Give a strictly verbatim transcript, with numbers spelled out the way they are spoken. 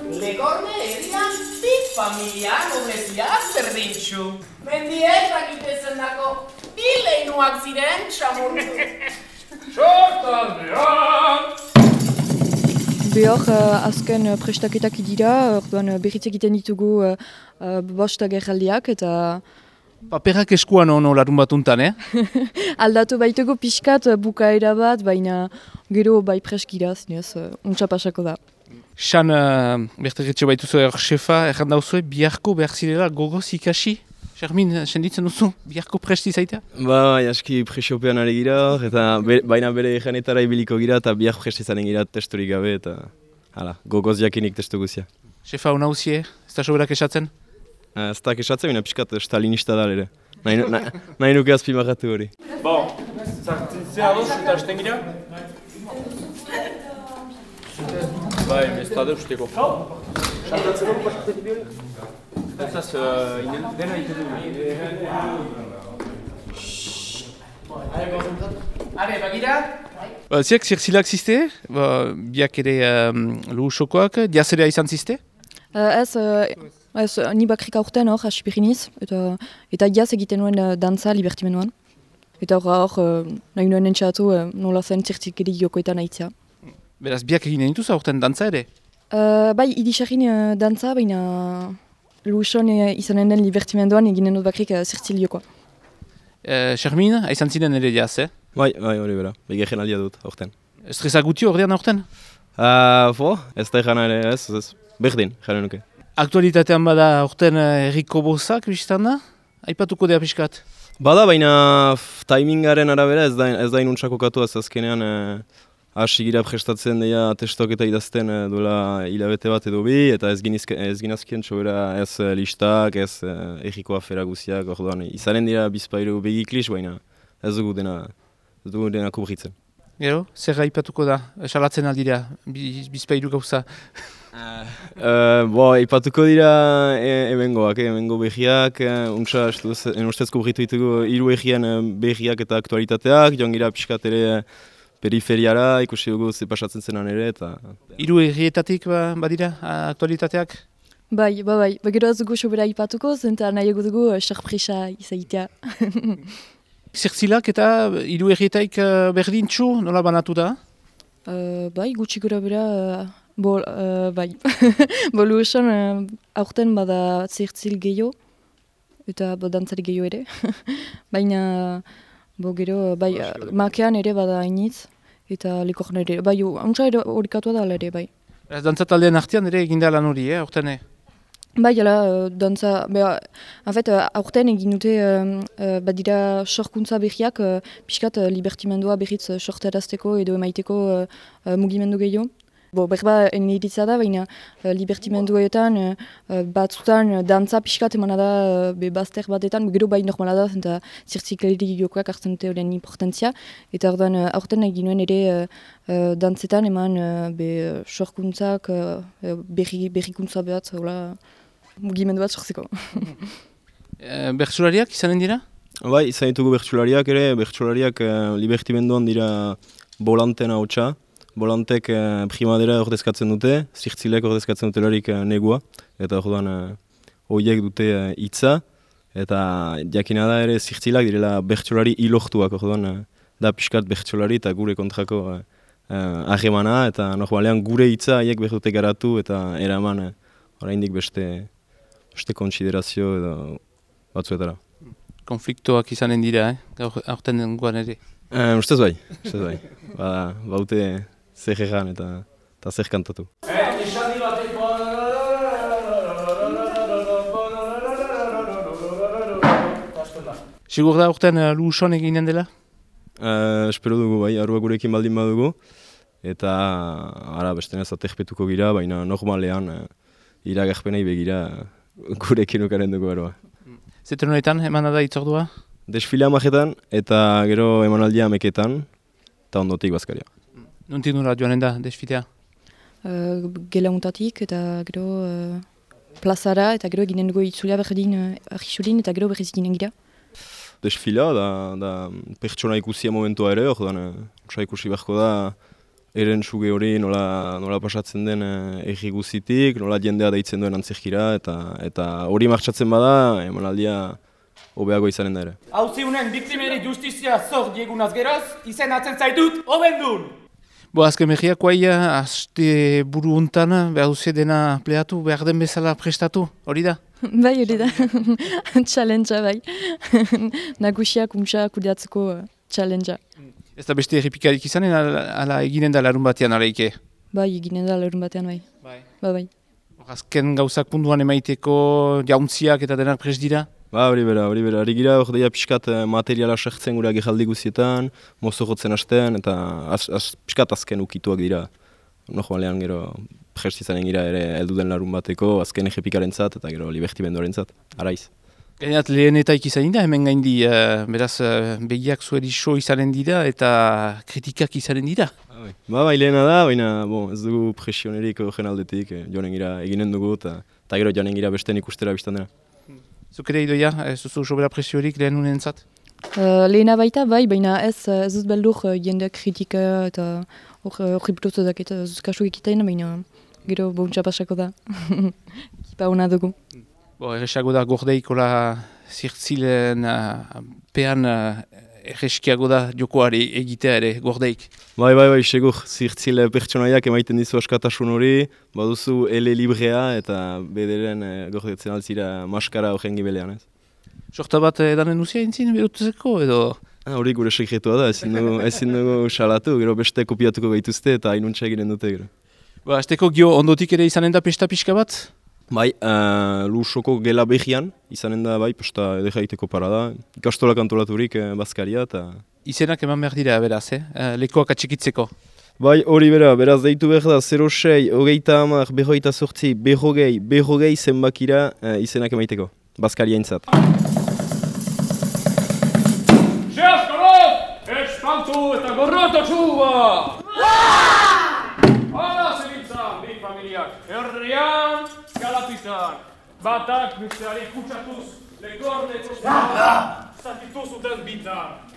Legorne herrian big familia nobleziak berdintxu. Mendiek rakitezen dako bi leinuak ziren txamurtu. Sortaldean! Behor, uh, azken uh, prestaketak dira, orduan uh, berriz egiten ditugu uh, uh, bost agerraldiak eta Paperak eskuan ono larun batuntan, eh? aldatu baitugu pixkat uh, bukaera bat, baina gero bai preskira, zinez, uh, untsa pasako da. San, uh, bertegetxe baituzu er xefa, erran dauzue, biharko behar zirela gogoz ikasi? Xermin, senditzen duzu, biharko presti zaita? Ba, aski presiopean ari gira, eta be, baina bere eganetara ibiliko gira, eta biak presti zanen gira testurik gabe, eta hala, gogoz jakinik testu guzia. Xefa, hona huzie, ez da soberak esatzen? Uh, ez da esatzen, baina pixkat stalinista da ere. Nahi, na, nahi nuke azpimagatu hori. Bon, zartzea doz eta hasten gira? Bai, bestade usteko. Sartatzen hori pasatzen bihori? Ez inen dena iten dugu. Are, bagira? Ba, ziak, zirtzilak ziste, ba, biak ere um, luhusokoak, diazerea izan ziste? Uh, ez, uh, ez, ni bakrik aurten hor, asipiriniz, eta, eta jaz egiten nuen uh, dantza libertimenuan. Eta hor, hor uh, nahi nuen entxatu uh, nola zen zirtzikeri jokoetan aitzia. Beraz, biak eginen dituz aurten dantza ere? Uh, bai, idixarin uh, dantza, baina luhuson uh, izanen den libertimenduan eginen dut bakrik uh, zirtzil jokoa. Xermin, uh, aizan ziren ere jaz, eh? Bai, bai, hori bera, begehen aldia dut, aurten. Estresa gutio ordean aurten? Uh, bo, ez da egana ere ez, ez, berdin, jaren nuke. Aktualitatean bada aurten herriko bozak, biztan da? Aipatuko dea pixkat? Bada, baina f, timingaren arabera ez da, ez da inuntzako katu ez azkenean hasi gira prestatzen deia testok eta idazten e, duela hilabete bat edo bi, eta ez, ginizke, ez ginazkien txobera ez e, listak, ez e, erriko afera guziak, orduan izanen dira bizpairu begiklis, baina ez dugu dena, ez dugu dena kubritzen. Gero, zer aipatuko da, salatzen aldira, bizpairu gauza. Uh, bo, ipatuko dira e, ebengoak, e, ebengo behiak, e, untsa ustez kubritu ditugu hiru egian behiak eta aktualitateak, joan gira pixkat ere periferiara, ikusi dugu ze pasatzen zenan ere, eta... Hiru egietatik ba, badira aktualitateak? Bai, ba, bai, bagero ez dugu sobera ipatuko, zenta nahiago dugu uh, sorpresa izaitea. Zirtzilak eta hiru egietaik uh, berdintxu, nola banatu da? Uh, bai, gutxi gora bera, uh, bo, uh, bai. Bolu esan, uh, aurten bada zirtzil gehiago, eta bo dantzari gehiago ere. Baina, bo gero, bai, uh, makean ere bada hainitz, eta likorn ere, bai, hauntza ere horikatua da ere, bai. Ez dantzataldean artean ere eginda lan hori, eh, aurten? Bai, ala, uh, dantza, beha, en fait, uh, aurten egin dute uh, uh, badira sorkuntza berriak, uh, pixkat uh, libertimendua berriz uh, sortarazteko edo emaiteko uh, uh, mugimendu gehiago. Bo, berba eniritza da, baina uh, libertimenduetan uh, uh, batzutan uh, dantza pixkat emana da uh, be bazter batetan, gero bai normala da, zenta zirtzikleri jokoak hartzen dute horren importantzia, eta ordan uh, aurten egin nuen ere uh, uh, dantzetan eman uh, be uh, sorkuntzak, uh, berri, berrikuntza behat, hola, mugimendu bat sortzeko. e, Bertsulariak izanen dira? Bai, izan ditugu bertsulariak ere, bertsulariak uh, libertimenduan dira bolanten hautsa. Bolantek uh, primadera ordezkatzen dute, zirtzilek ordezkatzen dute larik uh, negua, eta orduan uh, horiek dute hitza, uh, eta jakina da ere zirtzilak direla bertsulari ilohtuak, orduan uh, da pixkat bertsulari eta gure kontrako uh, uh, ahemana, eta normalean gure hitza haiek behar dute garatu eta eraman uh, oraindik beste beste kontsiderazio edo batzuetara. Konfliktoak izanen dira, eh? Aurten dengoan ere. Uh, ustez bai, ustez bai. Ba, baute zer egan eta, eta zer kantatu. Sigur da aurten uh, luhuson eginen dela? Uh, espero dugu bai, arua gurekin baldin badugu. Eta ara bestenez aterpetuko gira, baina normalean uh, iragarpenei begira gurekin ukaren dugu arua. Zeter honetan, emana da itzordua? Desfilea majetan eta gero emanaldia ameketan, eta ondotik bazkaria. Nuntik nula joanen da, desfilea? Uh, gela untatik eta gero uh, plazara eta gero eginen dugu itzulia berdin uh, argisulin eta gero berriz eginen gira. Desfilea da, da pertsona ikusia momentua ere, orduan uh, ikusi beharko da eren suge hori nola, nola pasatzen den erri guzitik, nola jendea deitzen duen antzerkira, eta eta hori martxatzen bada, emanaldia hobeago izanen da ere. Hauzi unen biktimeri justizia zor diegunaz geroz, izen atzen zaitut, hobendun! Bo, azken mehiak guaia, aste buru untan, behar duze dena pleatu, behar den bezala prestatu, hori da? Bai, hori da. Challengea, bai. Nagusiak untsa kudeatzeko uh, challengea. Ez da beste errepikarik izanen, ala, ala eginen da larun batean araike? Bai, eginen da larun batean, bai. Bai. Ba, bai. Azken gauzak punduan emaiteko jauntziak eta denak prest dira? Ba, hori bera, hori bera. Hori gira, hori daia pixkat materiala sartzen gure agejaldi guzietan, mozo jotzen hastean, eta az, az, pixkat azken ukituak dira. Normalean gero prest izanen gira ere heldu den larun bateko, azken errepikaren zat, eta gero libertimenduaren zat, araiz. Gainat lehen eta ikizanin da, hemen gaindi, uh, beraz uh, begiak zueri so izanen dira eta kritikak izanen dira. Ba, bai, lehena da, baina bon, ez dugu presionerik horren aldetik, eh, joanen gira eginen dugu, eta gero joanen gira besten ikustera biztan dena. Zuk ere idoia, ez duzu sobera presiorik lehen unen zat? Uh, lehena baita, bai, baina ez, ez dut beldur uh, jende kritika eta horri buruz dakit zuzkasu egiten, baina gero bontxa pasako da. Kipa hona dugu. Bo, erresago da gordeikola zirtzilen uh, pean uh, erreskiago da jokoari egitea ere gordeik. Bai, bai, bai, segur, zirtzile pertsonaiak emaiten dizu askatasun hori, baduzu ele librea eta bederen eh, gordetzen altzira maskara horren gibelean, ez? Sorta bat edanen duzia intzin berutzeko edo? Ah, hori gure sekretua da, ezin dugu, ezin dugu salatu, gero beste kopiatuko gaituzte eta hainuntza eginen dute gero. Ba, azteko gio ondotik ere izanen da pesta pixka bat? Bai, uh, lusoko gela behian, izanen da, bai, posta edera egiteko parada, ikastolak antolaturik eh, bazkaria eta... Izenak eman behar dira, beraz, eh? Lekoak atxikitzeko. Bai, hori bera, beraz deitu behar da, zero sei, hogeita hamar, berrogeita sortzi, berrogei, berrogei zenbakira uh, izenak emaiteko, bazkaria intzat. Zehazkolot! Espantu eta gorroto txuba! Hala zebiltzan, bi familiak, herrian, galapitan, batak besteari kutsatuz, legornetuz, zatitu zuten bitan.